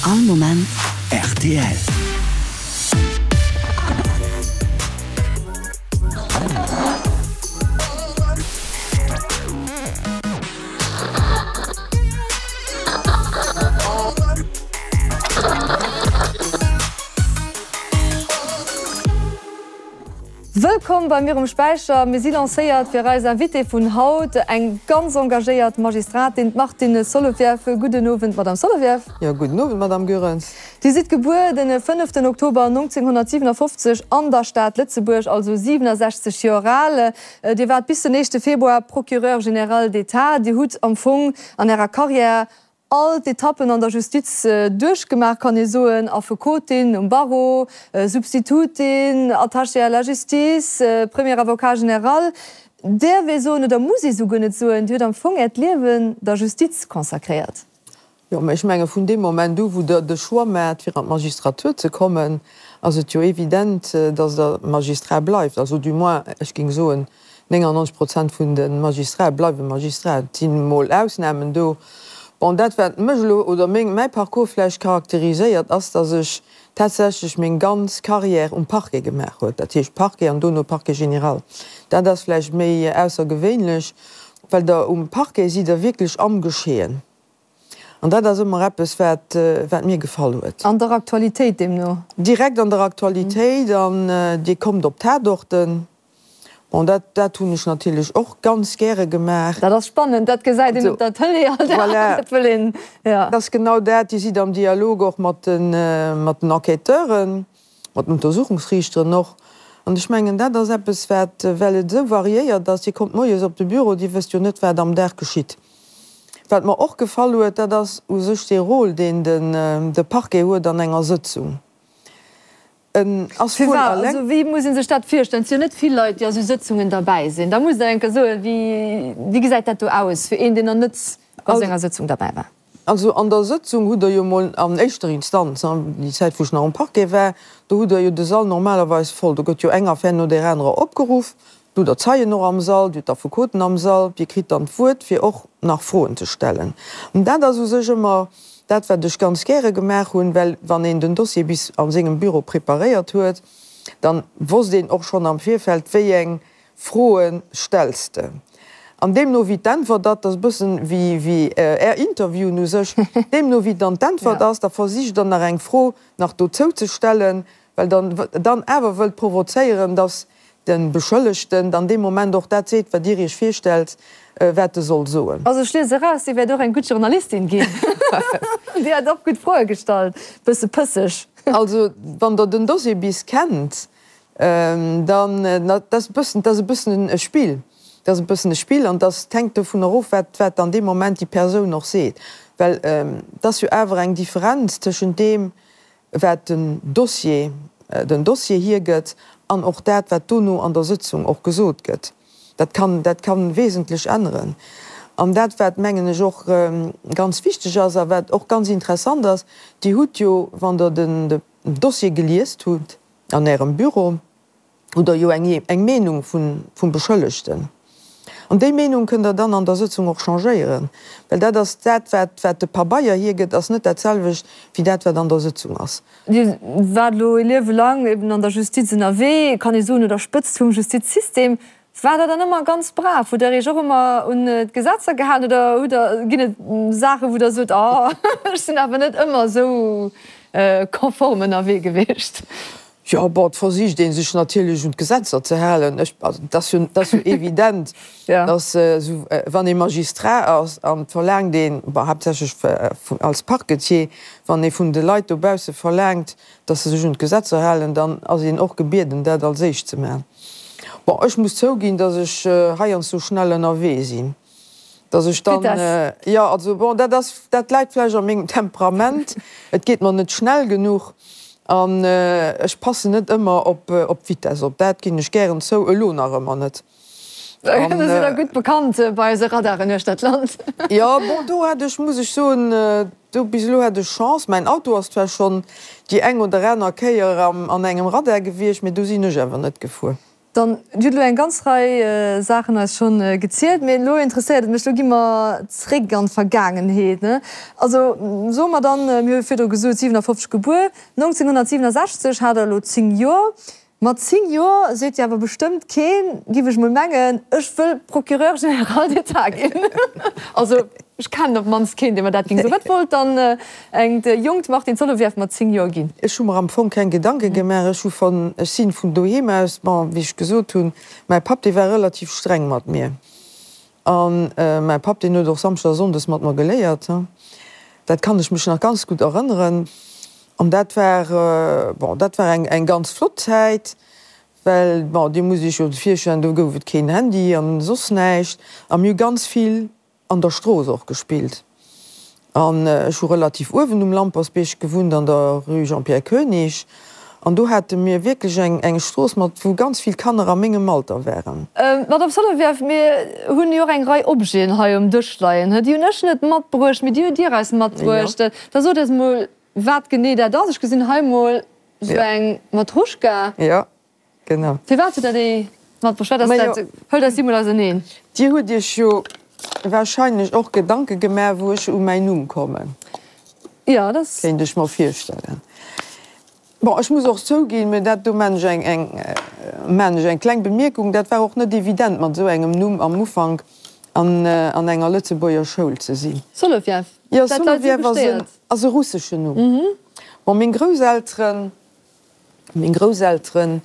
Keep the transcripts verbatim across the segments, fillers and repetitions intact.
All Moment rtl. Wëllkomm bei mir um Späicher. Mir si lancéiert fir eis Invitée vun haut, eng ganz engagéiert Magistratin, d'Martine Solovieff. Gudden Owend, Madame Solovieff. Jo, gudden Owend, Madame Goerens. Dir sidd gebuer den fënneften Oktober nonzénghonnertsiwenafoffzeg an der Stad Lëtzebuerg, also siwenasechzeg Joer al. Dir waart bis den éischte Februar Procureur général d'État. Dir hutt am Fong an Ärer Carrière all d'Etappen an der Justiz duerchgemaach, kann ee soen, Affekotin um Barreau, Substitutin, Attachée à la justice, Premier Avocat général. Däerf ee soen, oder muss ee souguer net soen, Dir hutt am Fong Äert Liewen der Justiz consacréiert? Jo, mä ech menge vun deem Moment u wou Der de Choix maacht, fir an d'Magistratur ze kommen, ass et jo evident, datt Der Magistrat bleift. Also du moins, ech géing soen, néngannonzeg Prozent vun de Magistrate bleiwe Magistrat. Et sinn emol Ausnamen do. Bon, dat wat mech elo oder meng, mäi Parcours vläicht charakteriséiert, ass, datt ech tatsächlech meng ganz Carrière um Parquet gemaach huet, dat heescht Parquet an dono Parquet général. Dat ass vläicht méi aussergewéinlech, well Der um Parquet sidd Der wierklech am Geschehen. An dat ass ëmmer eppes, wat, wat mir gefall huet. An der Aktualitéit deemno? Direkt an der Aktualitéit an Dir kommt op Tatorten. Bon, dat, dat hunn ech natierlech och ganz gäre gemaach. Dat ass spannend, dat gesäit een op der Tëlee all Dag. Voilà. Dat wëll een, ja. Dat ass genau dat. Dir sidd am Dialog och mat den, mat den Enquêteuren, mat den Untersuchungsriichteren och. An ech mengen, dat ass eppes, wat, well et esou variéiert ass, Dir kommt moies op de Büro, Dir wësst jo net, wat am Dag geschitt. Wat mer och gefall huet, dat ass u sech dee Rôle, deen den, de Parquet huet an enger Sëtzung. En ass wuel Firwat? alleng. Also wéi muss ee sech dat virstellen? Et si jo net vill Leit, déi a sou Sëtzungen derbäi sinn. Da musst Der eng Kéier soen, wéi, wéi gesäit dat do aus fir een, deen nach net bei sou enger Sëtzung derbäi war? Also an der Sëtzung hutt Der jo mol an éischter Instanz, déi Zäit wou ech nach um Parquet war, do hutt Der jo de Sall normalerweis voll. Do gëtt jo eng Affär no där anerer opgeruff. Do hutt Der d'Zeien och am Sall, Dir hutt d'Affekoten am Sall, Dir kritt dann d'Wuert fir och nach Froen ze stellen. An dat ass u sech ëmmer dat wat ech ganz gäre gemaach hunn, well wann een den Dossier bis a sengem Büro preparéiert huet, dann wosst een och schonn am Virfeld, wéi eng Froe stells de. An deemno wéi d'Äntwert ass, dat ass e bëssen wéi wéi Är Interviewen u sech, deemno wéi dann d'Äntwert ass, da versicht Der nach eng Fro nach dozou ze stellen, well Der dann awer wëllt provozéieren, dass de Beschëllegten dann dee Moment och dat seet, wat Dir Iech virstellt, wat e soll soen. Also ech liese eraus, Dir wäert och eng gutt Journalistin ginn. Dir hat och gutt Froe gestallt, bësse pësseg. Also wann Der den Dossier bis kennt, dann, dat ass e bëssen, dat ass e bëssen e Spill, dat ass e bëssen e Spill an dat hänkt dovunner of, wat, wat dann dee Moment déi Persoun och seet. Well et ass jo awer eng Differenz tëschent deem, wat den Dossier, den Dossier hiergëtt an och dat, wat dono an der Sëtzung och gesot gëtt. Dat kann, dat kann wesentlech änneren. An dat, wat, mengen ech, och ganz wichteg ass a wat och ganz interessant ass, Dir hutt jo, wann Der den Dossier geliest hutt an Ärem Büro, hutt Der jo eng, eng Meenung vun, vum Beschëllegten. An déi Meenung kënnt Der dann an der Sëtzung och changéieren, well dat ass dat, wat, wat de Pabeier hiergëtt, ass net dat selwecht wéi dat, wat an der Sëtzung ass. Dir waart elo e Liewe laang eben an der Justiz ënnerwee, kann ee soen, un der Spëtzt vum Justizsystem. Waart Der dann ëmmer ganz brav? Hutt Der Iech och ëmmer un d'Gesetzer gehalen oder hutt Der, ginn et Saachen, wou Der sot, oh, ech sinn awer net ëmmer esou konform ënnerwee gewiescht? Jo, bon, et versicht ee sech natierlech un d'Gesetzer ze halen. Ech, also, et ass jo, et ass jo evident, datt esou, wann ee Magistrat ass an et verlaangt een, bon, haaptsächlech als Parquetier, wann ee vun de Leit dobausse verlaangt, datt se sech un d'Gesetzer halen, dann ass een och gebieden, dat als éischt ze maachen. Bon, ech muss zouginn, datt ech heiansdo schnell ënnerwee sinn. Dass ech dann, jo, also bon, dat ass, dat läit vläicht a mengem Temperament, et geet mer net schnell genuch an ech passen net ëmmer op op d'Vitesse op, dat ginn ech gären zou, elo nach ëmmer net. Do sidd Der gutt bekannt bei eise Radaren uechter d'Land. Jo, bon, do hat ech, muss ech soen, do bis elo hat ech Chance. Mäin Auto ass zwar schonn déi eng oder aner Kéier an engem Radar gewiescht, mee do sinn ech awer net gefuer. Dann, Dir hutt elo eng ganz Rei Saachen eis schonn gezielt, mee elo interesséiert et mech, elo gi mer zréck an d'Vergaangenheet, ne? Also soe mer dann, mir hu virdru gesot, siwenafofzeg gebuer, nonzénghunnertsiwenasechzeg hat Der elo zéng Joer. Mat zéng Joer seet jo awer bestëmmt keen, giff ech mol mengen, ech wëll Procureur général d'État ginn. Also ech kennen op d'mannst keen, dee mer dat géing soen. Wat wollt dann engt jonkt Martine Solovieff mat zéng Joer ginn? Ech hu mer am Fong keng Gedanke gemaach. Ech hu von, ech sinn vun doheem aus, bon, wéi ech gesot hunn, mäi Papp, dee war relativ streng mat mir. An mäi Papp, deen huet och Samschdes a Sonndes mat mer geléiert. Dat kann ech mech nach ganz gutt erënneren. An dat war, bon, dat war eng, eng ganz flott Zäit, well, bon, Dir musst Iech jo virstellen, do gouf et keen Handy an soss näischt. A mir hu ganz vill an der Strooss och gespillt. An ech hu relativ uewen um Lampersbierg gewunnt, an der Rue Jean-Pierre Koenig. An do hate mir wierklech eng, eng Strooss mat, wou ganz vill Kanner a mengem Alter waren. Madame Solovieff, mir hunn jo och eng Rei Objeten hei um Dësch leien. Déi hunn ech net matbruecht, mee déi hutt Dir eis matbruecht. Da sot eis emol, Wat genee dat ass? Ech gesinn hei mol sou eng Matruschka. Jo, genau. Firwat hutt Der déi matbruecht? Wat ass dat? Hëlt eis déi mol auserneen. Dir hutt Iech jo warscheinlech och Gedanke gemaach, wou ech u mäin Numm kommen. Jo, dat. Kéint ech mer virstellen. Bon, ech muss och zouginn, mä dat do maan ech eng, eng, maan ech eng kleng Bemierkung, dat war och net evident mat esou engem Numm am Ufank an, an enger Lëtzebuerger Schoul ze sinn. Soloviev, Jo, dat leit esou Soloviev ass en, gestéiert. ass e russeschen Numm. Bon, meng Grousselteren, meng Grousselteren,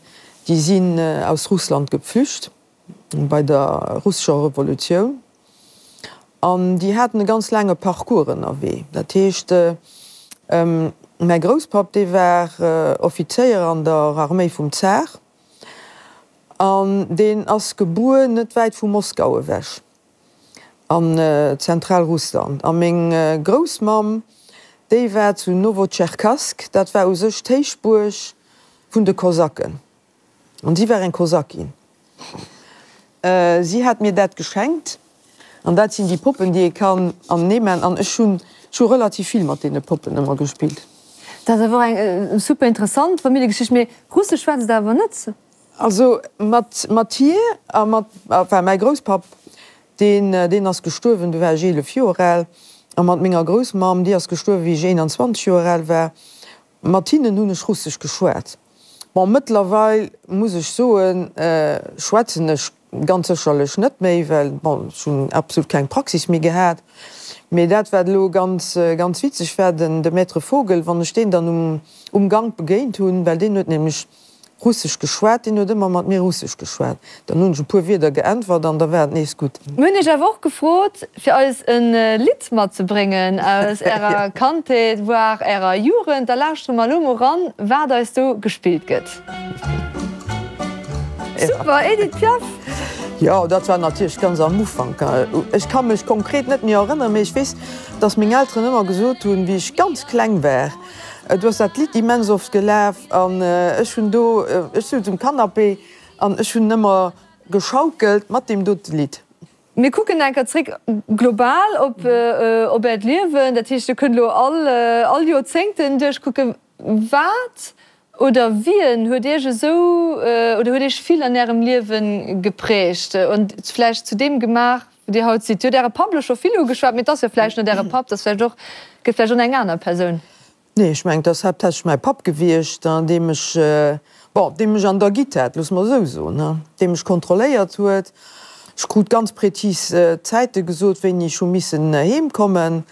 déi sinn aus Russland geflücht bei der russescher Revolutioun. An déi haten e ganz laange Parcours ënnerwee. Dat heescht, mäi Grousspapp, dee war Offizéier an der Arméi vum Zar an deen ass gebuer net wäit vu Moskau ewech, an Zentralrussland. A meng Groussmamm, déi war zu Nowotscherkassk, dat war u sech d'Héichbuerg vun de Kosaken. An si war eng Kosakin. Si hat mir dat geschenkt. An dat sinn déi Poppen, déi ee kann anenee man. An ech hunn, ech hu relativ vill mat deene Poppen ëmmer gespillt. Dat ass awer och eng super interessant Familljegeschicht. Mee Russesch schwätzt Der awer net? Also mat, mat hir a mat, enfin mäi Grousspapp, deen, deen ass gestuerwen, du war ech eelef Joer al. A mat menger Groussmamm, déi ass gestuerwen, wéi ech eenanzwanzeg Joer al war. Mat hinnen hunn ech Russesch geschwat. Bon, mëttlerweil muss ech soen, schwätzen ech ganz sécherlech net méi, well, bon, ech hunn absolut keng Praxis méi gehat. Mee dat, wat elo ganz, ganz witzeg war, den, de Maître Vogel, wann ech deen dann um, um Gank begéint hunn, well deen huet nämlech Russesch geschwat, deen huet ëmmer mat mir Russesch geschwat. Dann hunn ech e puer Wierder geäntwert an da war et nees gutt. Mir hunn iech awer och gefrot, fir eis e Lidd matzebréngen aus ärer Kandheet, voire ärer Jugend. Da lauschtere mer elo mol ran, wat eis do gespillt gëtt. Super, Edith Piaf! Jo, dat war natierlech ganz am Ufank. Ech ka mech konkret net méi erënneren, mee ech weess, dass meng Elteren ëmmer gesot hunn, wéi ech ganz kleng war, Du ass dat Lidd immens oft gelaf an ech hunn do, ech souz um Canapé an ech hunn ëmmer geschaukelt mat deem dote Lidd. Mir kucken eng Kéier zréck global op op Äert Liewen, dat heescht, Dir kënnt elo all all Joerzéngten duerchkucken. Wat oder wien huet Iech esou oder huet Iech vill an Ärem Liewe geprägt und vläicht zu deem gemaach, wou Dir haut sidd? Dir hutt Äre Papp elo scho vill ugeschwat, mee et ass jo vläicht net Äre Papp, et ass vläicht och, gëtt vläicht och eng aner Persoun. Nee, ech mengen, et ass haaptsächlech mäi Papp gewiescht, dee mech, bon, dee mech an der Gitt hat, loosse mer esou soen, dee mech kontrolléiert huet. Ech krut ganz prezis Zäite gesot, wéini ech hu missen heem kommen.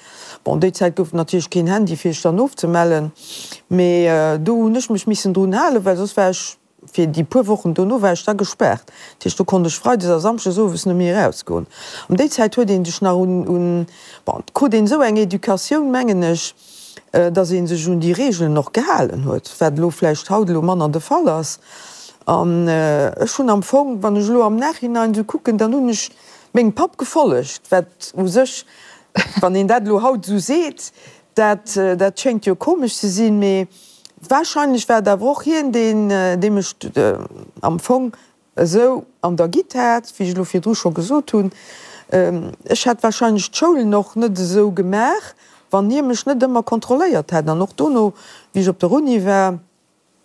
Bon, déi Zäit gouf et natierlech keen Handy, fir sech dann ofzemellen, mee do hunn ech mech missen drun halen, well soss war ech Fir déi puer Wochen dono war ech da gespaart. Dat heescht, do konnt ech freides a samschdes owes net méi erausgoen. An déi Zäit huet ee sech nach un, un, bon, et krut een esou eng Educatioun, mengen ech, datt ee sech un déi Reegelen och gehalen huet, wat elo vläicht haut elo manner de Fall ass. An ech hunn am Fong, wann ech elo am Nachhinein esou kucken, dann hunn ech mengem Papp gefollegt, wat u sech, wann een dat elo haut esou seet, dat, dat schéngt jo komesch ze sinn, mee Wahrscheinlech war et awer och hien, deen, dee mech am Fong esou an der Gitt hat, wéi ech elo virdru scho gesot hunn. Ech hätt wahrscheinlech d'Schoulen och net esou gemaach, wann hie mech net ëmmer kontrolléiert hätt. An och dono, wéi ech op der Uni war,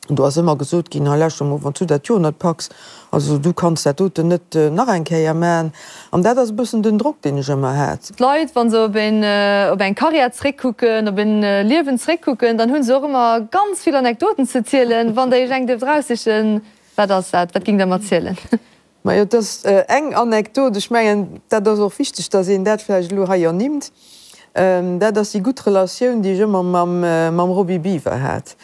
Do ass ëmmer gesot ginn, hei lauschter mol, wann s du dat Joer net packs, also du kanns dat doten net nach eng Kéier man. An dat ass e bëssen den Drock, deen ech ëmmer hat. D'Leit, wa se op een, op eng Karriär zréckkucken, op en Liewen zréckkucken, dann hu se och ëmmer ganz vill Anekdoten ze zielen. Wann Der Iech eng dierft eraussichen, wat ass dat? Wat géingt Der mer zielen? Majo, et ass eng Anekdot, ech mengen, dat ass och wichteg, datt een dat vläicht elo hei ernimmt, dat ass déi gutt Relatioun, déi ech ëmmer mam Roby Biwer hat.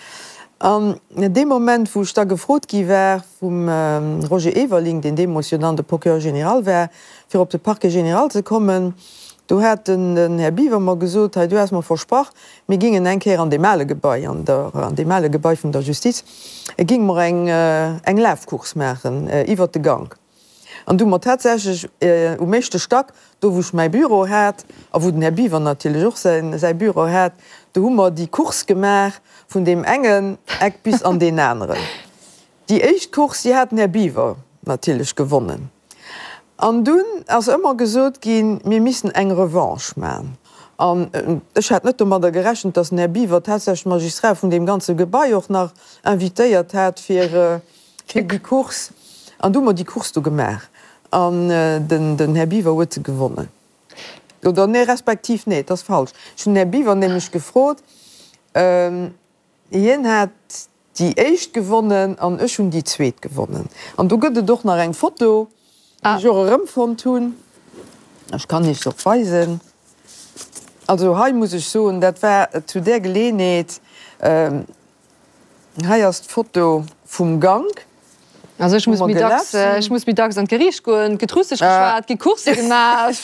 An dee Moment, wou ech da gefrot gi war vum Roger Everling, deen deemools jo dann de Procureur général war, fir op de Parquet général ze kommen, do hat den Här Biwer mer gesot, hei, du has mer versprach, mir gingen eng Kéier an deem ale Gebai, an der, an deem ale Gebai vun der Justiz, ginge mer eng, eng Lafcourse maachen iwwert de Gank. An du hu mer tatsächlech um éischte Stack, do wou ech mäi Büro hat a wou den Här Biwer natierlech och säin, säi Büro hat, do hu mer déi Course gemaach vun deem engen Eck bis an deen aneren. Déi éischt Course, déi hat den Här Biwer natierlech gewonnen. An dunn ass ëmmer gesot ginn, mir missten eng Revanche man. An ech hat net domadder gerechent, datt den Här Biwer tatsächlech d'Magistrat vun deem ganze Gebai och nach invitéiert hat fir déi Course. An du hu mer déi Course do gemaach an den Här Biwer huet se gewonnen. Oder nee, respektiv, nee, et ass falsch, ech hunn den Här Biwer nämlech gefrot, hien hat déi éischt gewonnen an ech hunn déi zweet gewonnen. An do gëtt et och nach eng Foto, déi ech och erëmfonnt hunn. Ech kann Iech se och weisen. Also hei muss ech soen, dat war zu där Geleeënheet, hei ass d'Foto vum Gank. Also ech muss méi dacks, ech muss méi dacks an d'Geriicht goen, et gëtt Russesch geschwat, et gi Coursse gemaach.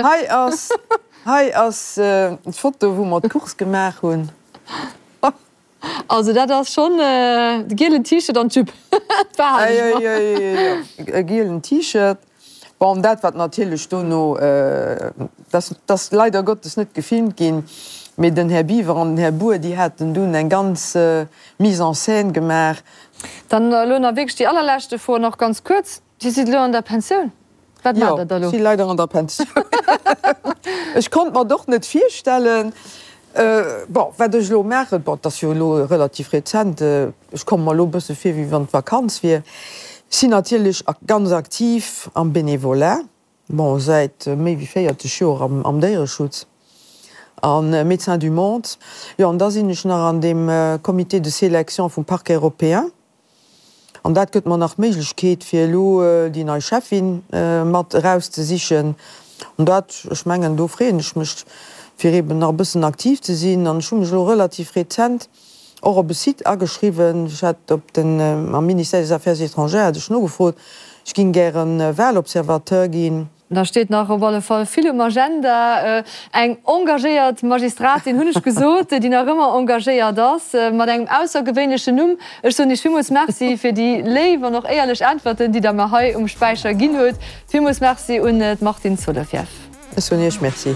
Hei ass, hei ass d'Foto wou mer d'Course gemaach hunn. Also dat ass schonn de gielen T-Shirt an d'Jupe. E gielen T-Shirt. Bon, dat wat natierlech dono, dat ass leider Gottes net gefilmt ginn, mee den Här Biwer an den Här Bour, déi haten dunn eng ganz Mise en scène gemaach. Dann elo nach wierklech déi allerleschte Fro, nach ganz kuerz, Dir sidd elo an der Pensioun. Wat maacht Der da elo? Jo, ech si leider an der Pensioun. Ech konnt mer et och net virstellen. Bon, wat ech elo maachen, bon, et ass jo elo relativ rezent, ech komme mer elo e bësse vir, wéi wann et Vakanz wier. Ech sinn natierlech ganz aktiv am Bénévolat, bon, säit méi wéi véierzeg Joer am Déiereschutz a Médecins du Monde. Jo, an da sinn ech nach an deem Comité de sélection vum Parquet européen. An dat gëtt mer nach d'Méiglechkeet, fir elo déi nei Cheffin mat erauszesichen. An dat, ech mengen, do freeën ech mech, fir eeben nach e bëssen aktiv ze sinn. An ech hu mech elo relativ rezent och op e Site ageschriwwen. Ech hat op den, am Ministère des Affaires étrangères hat ech nogefrot, ech géing gäre Wahlobservateur ginn. Da steet nach op alle Fall vill um Agenda. Eng engagéiert Magistratin, hunn ech gesot, déi nach ëmmer engagéiert ass, mat engem aussergewéinlechen Numm. Ech soen Iech villmools Merci fir déi léif an och éierlech Äntwerten, déi Der mer hei um Späicher ginn hutt. Villmools Merci un d'Martine Solovieff. Ech soen Iech Merci.